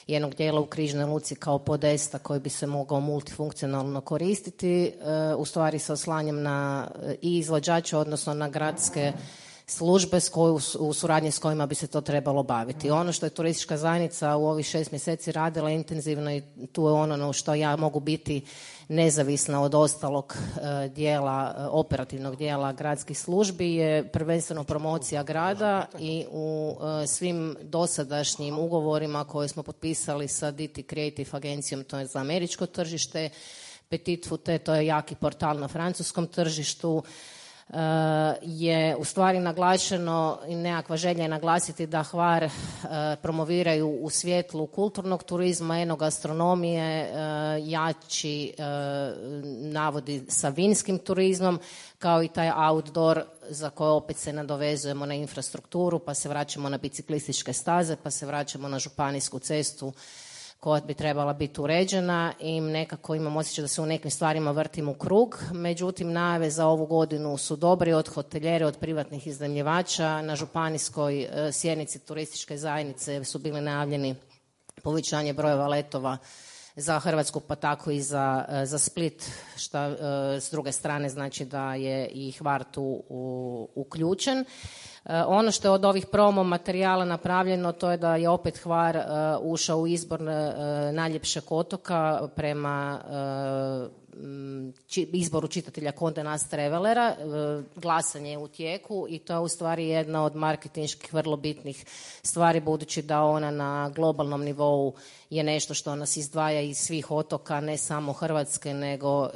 jednog dijela u Križnoj luci kao podesta koji bi se mogao multifunkcionalno koristiti, u stvari se oslanjam na i izvođače, odnosno na gradske službe u suradnji s kojima bi se to trebalo baviti. Ono što je turistička zajednica u ovih 6 mjeseci radila intenzivno, i tu je ono na što ja mogu biti nezavisna od ostalog dijela, operativnog dijela gradskih službi, je prvenstveno promocija grada, i u svim dosadašnjim ugovorima koje smo potpisali sa DT Creative agencijom, to je za američko tržište, Petit Fute, to je jaki portal na francuskom tržištu, je u stvari naglašeno, i nekakva želja je naglasiti da Hvar promoviraju u svjetlu kulturnog turizma, enogastronomije, jači navodi sa vinskim turizmom, kao i taj outdoor za koje opet se nadovezujemo na infrastrukturu, pa se vraćamo na biciklističke staze, pa se vraćamo na županijsku cestu koja bi trebala biti uređena, i nekako imam osjećaj da se u nekim stvarima vrtim u krug. Međutim, najave za ovu godinu su dobri, od hotelijere, od privatnih iznajmljivača. Na županijskoj sjednici turističke zajednice su bili najavljeni povećanje brojeva letova za Hrvatsku, pa tako i za Split, što s druge strane znači da je i Hvar tu uključen. Ono što je od ovih promo materijala napravljeno, to je da je opet Hvar ušao u izbor najljepšeg otoka prema izboru čitatelja Condé Nast Travelera. Glasanje je u tijeku i to je u stvari jedna od marketinških vrlo bitnih stvari, budući da ona na globalnom nivou je nešto što nas izdvaja iz svih otoka, ne samo Hrvatske, nego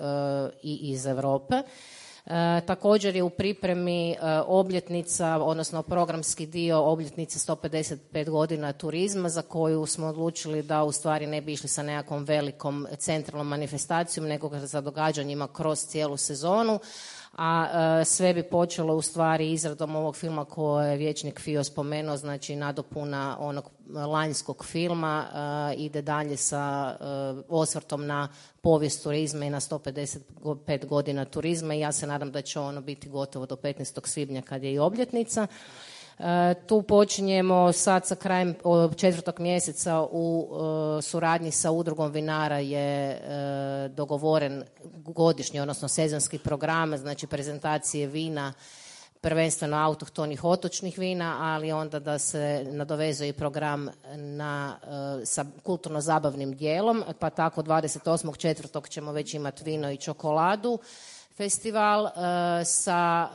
i iz Europe. Također je u pripremi obljetnica, odnosno programski dio obljetnice 155 godina turizma, za koju smo odlučili da u stvari ne bi išli sa nekakvom velikom centralnom manifestacijom, nego za događanjima kroz cijelu sezonu. A sve bi počelo u stvari izradom ovog filma koje je vijećnik Fio spomenuo, znači nadopuna onog lanjskog filma, ide dalje sa osvrtom na povijest turizma i na 155 godina turizma, i ja se nadam da će ono biti gotovo do 15. svibnja kad je i obljetnica. Tu počinjemo sad sa krajem 4. mjeseca u suradnji sa udrugom vinara je dogovoren godišnji, odnosno sezonski program, znači prezentacije vina, prvenstveno autohtonih otočnih vina, ali onda da se nadovezuje i program sa kulturno-zabavnim dijelom, pa tako 28.4. ćemo već imati vino i čokoladu festival sa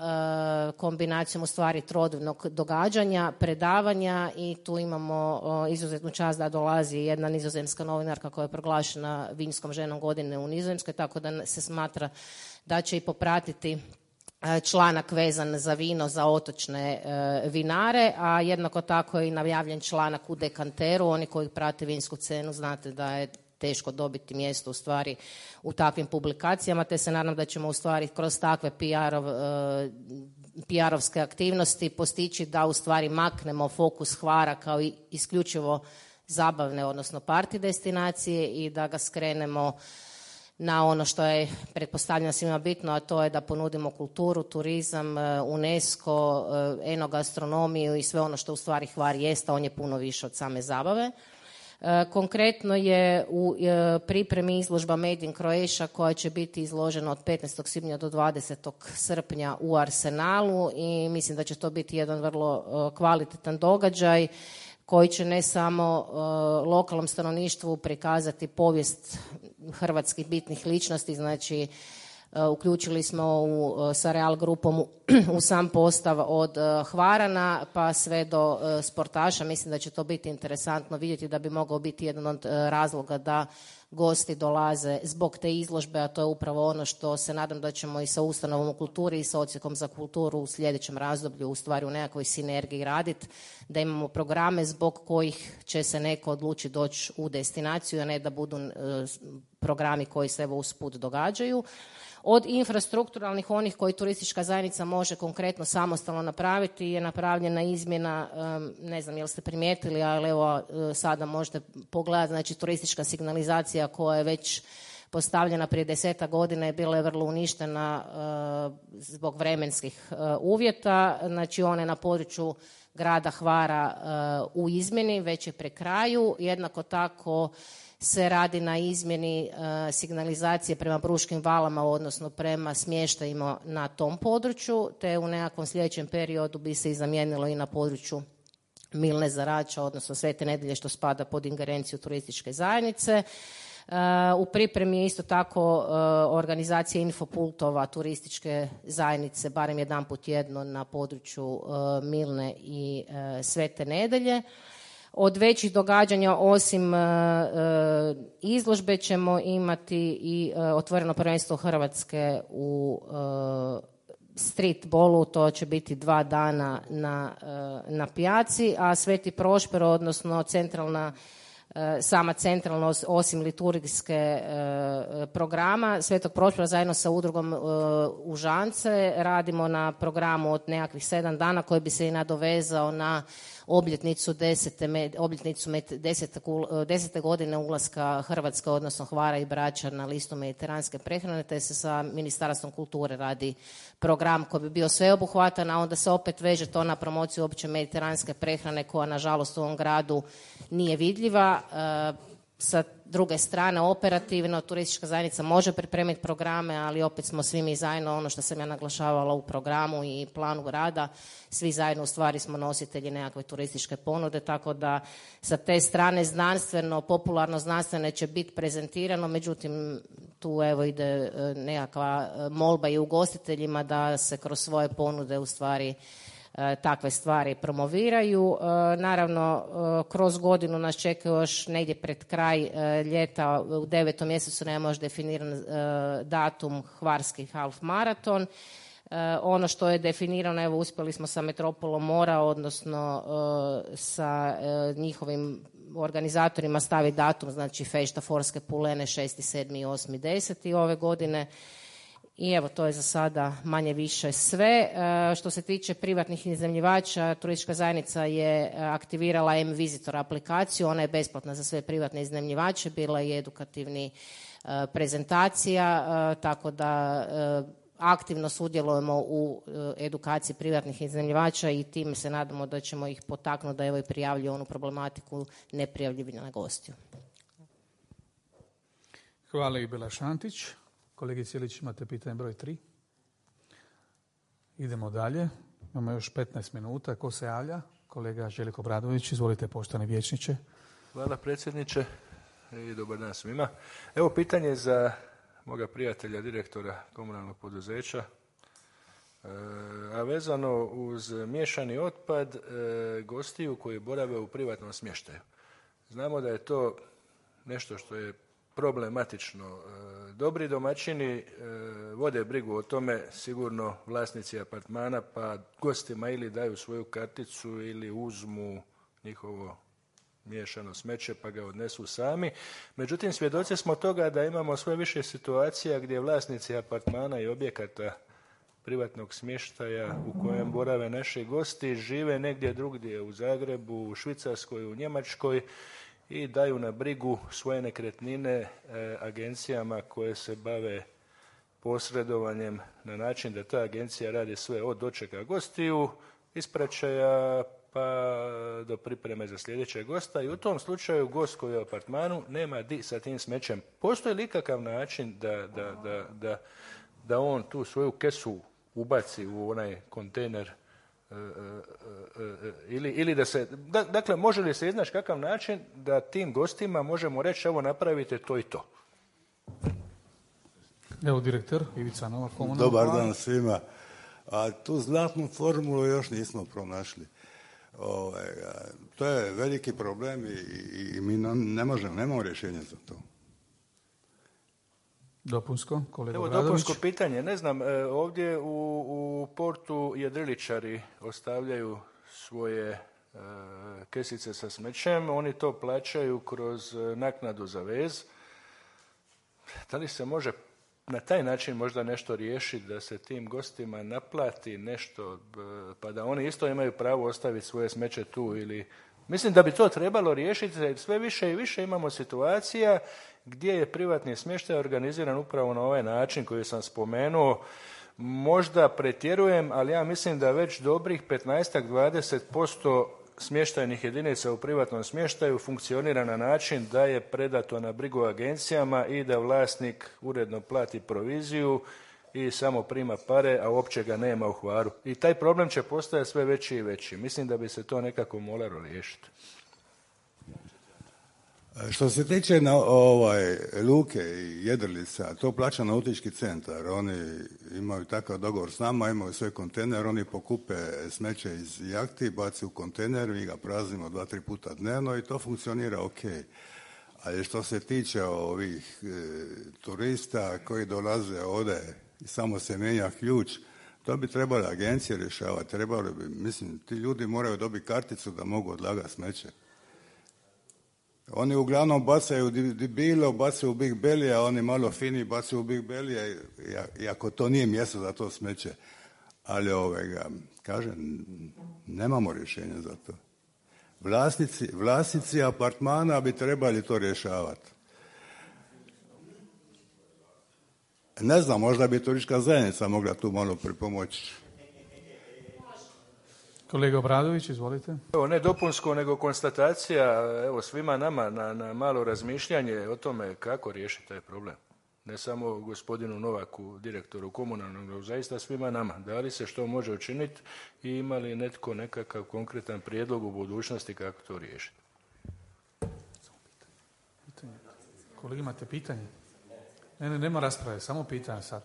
kombinacijom u stvari trodnevnog događanja, predavanja, i tu imamo izuzetnu čast da dolazi jedna nizozemska novinarka koja je proglašena vinskom ženom godine u Nizozemskoj, tako da se smatra da će i popratiti članak vezan za vino za otočne vinare, a jednako tako je i najavljen članak u Dekanteru. Oni koji prate vinsku scenu znate da je teško dobiti mjesto u stvari u takvim publikacijama, te se nadam da ćemo u stvari kroz takve PR-ovske aktivnosti postići da u stvari maknemo fokus Hvara kao isključivo zabavne, odnosno party destinacije, i da ga skrenemo na ono što je pretpostavljeno svima bitno, a to je da ponudimo kulturu, turizam, UNESCO, enogastronomiju i sve ono što u stvari Hvar jest, a on je puno više od same zabave. Konkretno je u pripremi izložba Made in Croatia koja će biti izložena od 15. svibnja do 20. srpnja u Arsenalu, i mislim da će to biti jedan vrlo kvalitetan događaj koji će ne samo lokalnom stanovništvu prikazati povijest hrvatskih bitnih ličnosti, znači uključili smo sa Real grupom u sam postav od Hvarana pa sve do sportaša. Mislim da će to biti interesantno vidjeti, da bi mogao biti jedan od razloga da gosti dolaze zbog te izložbe, a to je upravo ono što se nadam da ćemo i sa ustanovom u kulturi i sa odsjekom za kulturu u sljedećem razdoblju u stvari u nekakvoj sinergiji raditi, da imamo programe zbog kojih će se neko odlučiti doći u destinaciju, a ne da budu programi koji se evo usput događaju. Od infrastrukturalnih, onih koji turistička zajednica može konkretno samostalno napraviti, je napravljena izmjena, ne znam jel ste primijetili, ali evo sada možete pogledati, znači turistička signalizacija koja je već postavljena prije 10 godina i bila je vrlo uništena zbog vremenskih uvjeta. Znači ona je na području grada Hvara u izmjeni, već je pri kraju. Jednako tako se radi na izmjeni signalizacije prema Bruškim valama, odnosno prema smještajima na tom području, te u nekakvom sljedećem periodu bi se i zamijenilo i na području Milne Zarača, odnosno Svete Nedelje, što spada pod ingerenciju turističke zajednice. U pripremi je isto tako organizacija infopultova turističke zajednice, barem jedanput tjedno na području Milne i Svete Nedelje. Od većih događanja, osim izložbe, ćemo imati i otvoreno prvenstvo Hrvatske u streetballu, to će biti 2 dana na pijaci, a Sveti Prošper, odnosno sama centralna, osim liturgijske programa Svetog Prošpera, zajedno sa udrugom Užance radimo na programu od nekakvih 7 dana koji bi se i nadovezao na obljetnicu 10. godine ulaska Hrvatske, odnosno Hvara i Brača na listu mediteranske prehrane, te se sa Ministarstvom kulture radi program koji bi bio sveobuhvatan, a onda se opet veže to na promociju opće mediteranske prehrane koja nažalost u ovom gradu nije vidljiva. Sa druge strane, operativno, turistička zajednica može pripremiti programe, ali opet smo svi mi zajedno, ono što sam ja naglašavala u programu i planu rada, svi zajedno u stvari smo nositelji nekakve turističke ponude, tako da sa te strane znanstveno, popularno znanstvene će biti prezentirano, međutim tu evo ide nekakva molba i ugostiteljima da se kroz svoje ponude u stvari takve stvari promoviraju. Naravno, kroz godinu nas čeka još negdje pred kraj ljeta, u 9. mjesecu nema još definiran datum Hvarski half maraton. Ono što je definirano, evo uspjeli smo sa Metropolom mora, odnosno sa njihovim organizatorima staviti datum, znači Fešta Forske Pulene 6., 7. i 8. 10. ove godine. I evo, to je za sada manje više sve. Što se tiče privatnih iznajmljivača, turistička zajednica je aktivirala M-Visitor aplikaciju, ona je besplatna za sve privatne iznajmljivače, bila je edukativni prezentacija, tako da aktivno sudjelujemo u edukaciji privatnih iznajmljivača i time se nadamo da ćemo ih potaknuti da evo i prijavljuju onu problematiku neprijavljivanja gostiju. Hvala i Bela Šantić. Kolegi Cijelić, imate pitanje broj 3. Idemo dalje. Imamo još 15 minuta. Ko se javlja? Kolega Željko Bradović. Izvolite, poštovani vijećniče. Hvala predsjedniče i dobar dan svima. Evo pitanje za moga prijatelja, direktora komunalnog poduzeća, a vezano uz miješani otpad gostiju koji borave u privatnom smještaju. Znamo da je to nešto što je problematično. Dobri domaćini vode brigu o tome, sigurno vlasnici apartmana, pa gostima ili daju svoju karticu ili uzmu njihovo miješano smeće pa ga odnesu sami. Međutim, svjedoci smo toga da imamo sve više situacija gdje vlasnici apartmana i objekata privatnog smještaja u kojem borave naši gosti žive negdje drugdje, u Zagrebu, u Švicarskoj, u Njemačkoj, i daju na brigu svoje nekretnine agencijama koje se bave posredovanjem na način da ta agencija radi sve od dočeka gostiju, ispraćaja pa do pripreme za sljedećeg gosta, i u tom slučaju gost koji je u apartmanu nema di sa tim smećem. Postoji li ikakav način da on tu svoju kesu ubaci u onaj kontejner ili da se, dakle, može li se iznaći kakav način da tim gostima možemo reći evo napravite to i to? Evo direktor Ivica Novak, komunalno. Dobar dan svima. A tu zlatnu formulu još nismo pronašli. To je veliki problem i mi nemamo rješenja za to. Dopunsko, kolega Evo Bradović. dopunsko pitanje. Ne znam, ovdje u portu jedriličari ostavljaju svoje kesice sa smećem, oni to plaćaju kroz naknadu za vez. Da li se može na taj način možda nešto riješiti da se tim gostima naplati nešto, pa da oni isto imaju pravo ostaviti svoje smeće tu ili Mislim da bi to trebalo riješiti, jer sve više i više imamo situacija gdje je privatni smještaj organiziran upravo na ovaj način koji sam spomenuo. Možda pretjerujem, ali ja mislim da već dobrih 15-20% smještajnih jedinica u privatnom smještaju funkcionira na način da je predato na brigu agencijama i da vlasnik uredno plati proviziju i samo prima pare, a uopće ga nema u Hvaru. I taj problem će postajati sve veći i veći. Mislim da bi se to nekako moralo riješiti. Što se tiče luke i jedrilica, to plaća nautički centar. Oni imaju takav dogovor s nama, imaju svoj kontejner, oni pokupe smeće iz jahti, baci u kontejner, mi ga praznimo 2-3 puta dnevno i to funkcionira ok. Ali što se tiče ovih turista koji dolaze ovdje i samo se mijenja ključ, to bi trebale agencije rješavati. Mislim, ti ljudi moraju dobiti karticu da mogu odlagati smeće. Oni uglavnom bacaju bilo, bacaju u Big Belly, a oni malo fini bacaju u Big Belly, iako to nije mjesto za to smeće. Ali kažem, nemamo rješenja za to. Vlasnici apartmana bi trebali to rješavati. Ne znam, možda bi turistička zajednica mogla tu malo pripomoći. Kolega Obradović, izvolite. Evo, ne dopunsko, nego konstatacija, evo, svima nama na malo razmišljanje o tome kako riješiti taj problem. Ne samo gospodinu Novaku, direktoru komunalnog, nego zaista svima nama. Da li se što može učiniti i ima li netko nekakav konkretan prijedlog u budućnosti kako to riješiti? Kolegi, imate pitanje? Ne, nema rasprave, samo pitanja sad.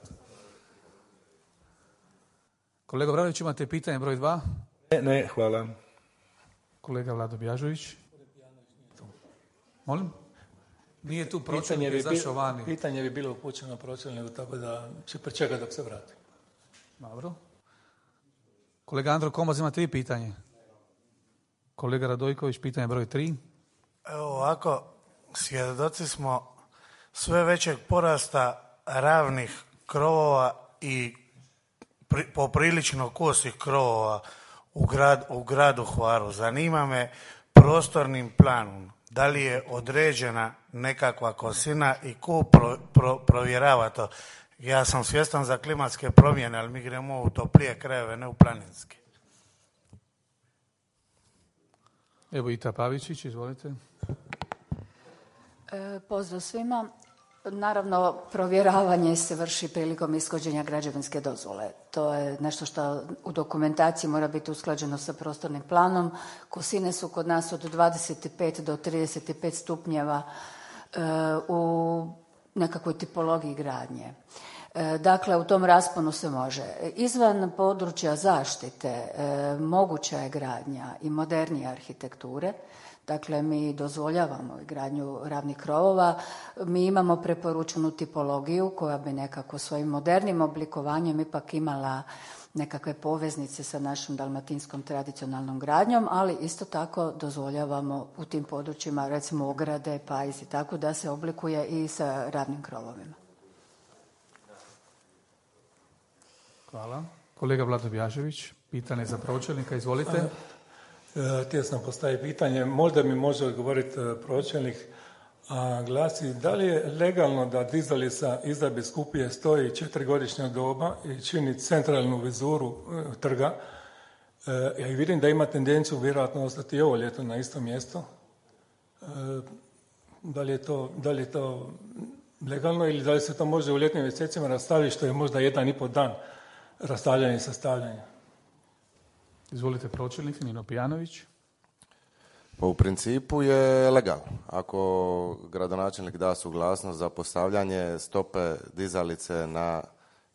Kolega Obradović, imate pitanje broj 2? Ne, hvala. Kolega Vlado Bjažović. Molim? Nije tu pročelnik, izašao vani. Pitanje bi bilo upućeno pročelniku, tako da će pričekati dok se vrati. Dobro. Kolega Andro Komaz, imate vi pitanje? Kolega Radojković, pitanje broj 3. Evo ovako, svjedoci smo sve većeg porasta ravnih krovova i poprilično kosih krovova u gradu Hvaru. Zanima me prostornim planom da li je određena nekakva kosina i ko provjerava to. Ja sam svjestan za klimatske promjene, ali mi gremo u toplije krajeve, ne u planinske. Evo Ita Pavičić, izvolite. Pozdrav svima. Naravno, provjeravanje se vrši prilikom ishođenja građevinske dozvole. To je nešto što u dokumentaciji mora biti usklađeno sa prostornim planom. Kosine su kod nas od 25 do 35 stupnjeva u nekakvoj tipologiji gradnje. Dakle, u tom rasponu se može. Izvan područja zaštite moguća je gradnja i modernije arhitekture. Dakle, mi dozvoljavamo gradnju ravnih krovova. Mi imamo preporučenu tipologiju koja bi nekako svojim modernim oblikovanjem ipak imala nekakve poveznice sa našom dalmatinskom tradicionalnom gradnjom, ali isto tako dozvoljavamo u tim područjima, recimo ograde, pajzi, tako da se oblikuje i sa ravnim krovovima. Hvala. Kolega Vlado Bjažević, pitanje za pročelnika, izvolite. Htio sam postaviti pitanje, možda mi može odgovoriti pročelnik, a glasi da li je legalno da dizalica iza biskupije stoji 4-godišnja doba i čini centralnu vizuru trga. Ja vidim da ima tendenciju vjerojatno ostati i ovo ljeto na isto mjesto. Da li je to legalno ili da li se to može u ljetnim mjesecima rastaviti, što je možda 1,5 dan rastavljanja i sastavljanja? Izvolite pročelnik, Nino Pijanović. Pa u principu je legalno. Ako gradonačelnik da suglasnost za postavljanje stope dizalice na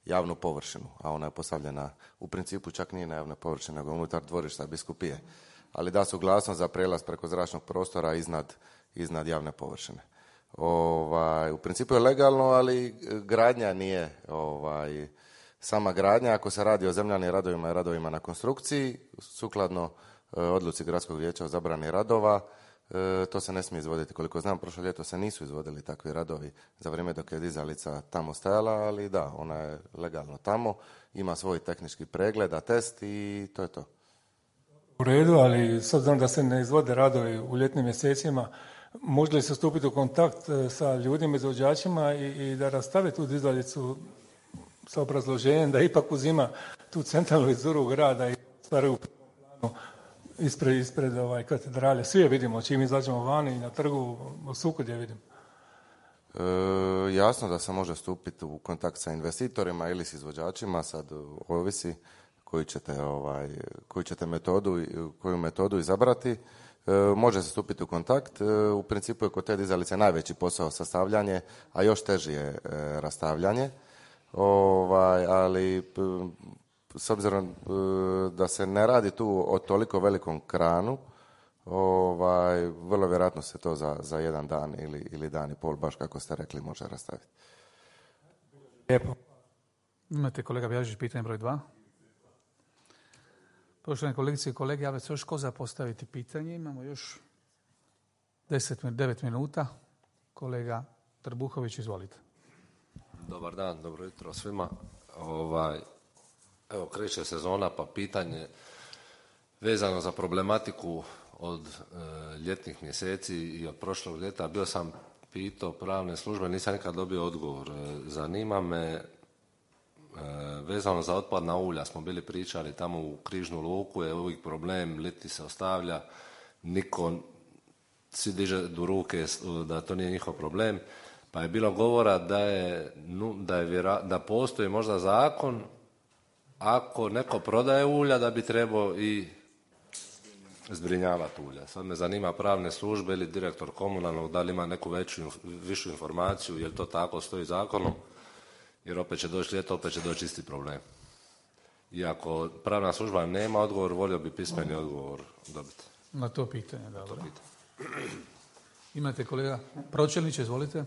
javnu površinu, a ona je postavljena u principu čak nije na javnoj površini, nego unutar dvorišta biskupije, ali da suglasnost za prelaz preko zračnog prostora iznad javne površine. U principu je legalno, ali gradnja nije sama gradnja. Ako se radi o zemljanim radovima i radovima na konstrukciji, sukladno odluci Gradskog vijeća o zabrani radova, to se ne smije izvoditi. Koliko znam, prošlo ljeto se nisu izvodili takvi radovi za vrijeme dok je dizalica tamo stajala, ali da, ona je legalno tamo, ima svoj tehnički pregled, test i to je to. U redu, ali s obzirom da se ne izvode radovi u ljetnim mjesecima, može li se stupiti u kontakt sa ljudima, izvođačima i da rastave tu dizalicu sa obrazloženjem da ipak uzima tu centralnu vizuru grada i stvaraju u planu ispred katedrale. Svi je vidimo, čim izađemo vani i na trgu, u Sukodje vidim. Jasno da se može stupiti u kontakt sa investitorima ili s izvođačima, sad ovisi koju metodu izabrati. Može se stupiti u kontakt. U principu je kod te dizalice najveći posao sastavljanje, a još teži je rastavljanje. Ali s obzirom da se ne radi tu o toliko velikom kranu, vrlo vjerojatno se to za jedan dan ili dan i pol, baš kako ste rekli, može rastaviti. Lijepo. Imate, kolega Bjažić, pitanje broj 2. Poštovane kolegice i kolege, javlja se još ko za postaviti pitanje. Imamo još 9 minuta. Kolega Trbuhović, izvolite. Dobar dan, dobro jutro svima. Evo, kreće sezona, pa pitanje vezano za problematiku od ljetnih mjeseci i od prošlog ljeta. Bio sam pitao pravne službe, nisam nikad dobio odgovor. Zanima me, vezano za otpadna ulja, smo bili pričali tamo u Križnu luku, je uvijek problem, liti se ostavlja, niko, svi diže do ruke da to nije njihov problem, pa je bilo govora da postoji možda zakon, ako neko prodaje ulja, da bi trebao i zbrinjavati ulja. Sad me zanima pravne službe ili direktor komunalnog, da li ima neku višu informaciju, je li to tako stoji zakonom, jer opet će doći ljeto, opet će doći isti problem. Iako pravna služba nema odgovor, volio bi pismeni odgovor dobiti. Na to pitanje, dobro. Imate, kolega Pročelnić, izvolite.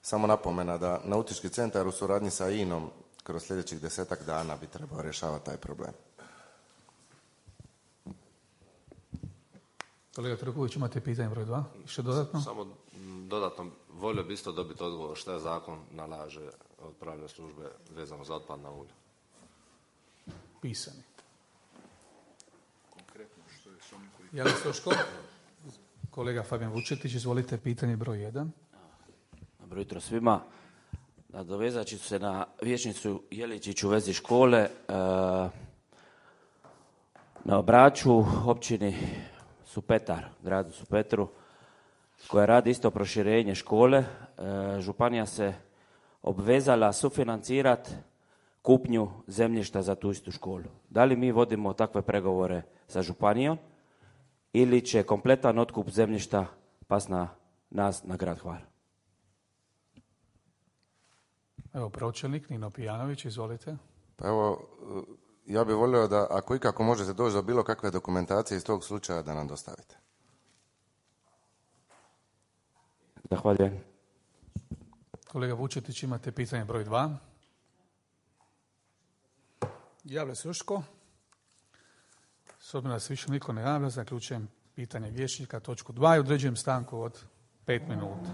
Samo napomena da Nautički centar u suradnji sa INA-om kroz sljedećih 10 dana bi trebao rješavati taj problem. Kolega Trković, imate pitanje broj 2? Što dodatno? Samo dodatno, volio bi isto dobiti odgovor šta je zakon nalaže od pravne službe vezano za otpadna ulja. Pisani. Jeli Soško? Kolega Fabijan Vučetić, izvolite, pitanje broj 1. Dobro jutro svima. Nadovezat ću se na vijećnicu Jeličić u vezi škole. Na Braču, općini Supetar, gradu Supetru, koja radi isto proširenje škole, županija se obvezala sufinancirati kupnju zemljišta za tu istu školu. Da li mi vodimo takve pregovore sa županijom ili će kompletan otkup zemljišta pas na nas, na grad Hvar? Evo, pročelnik Nino Pijanović, izvolite. Pa evo, ja bih volio da ako ikako možete doći do bilo kakve dokumentacije iz tog slučaja da nam dostavite. Zahvaljujem. Kolega Vučetić, imate pitanje broj 2. Javlja se još tko? S obzirom da se više niko ne javlja, zaključujem pitanje vijećnika, točku 2 i određujem stanku od 5 minuta.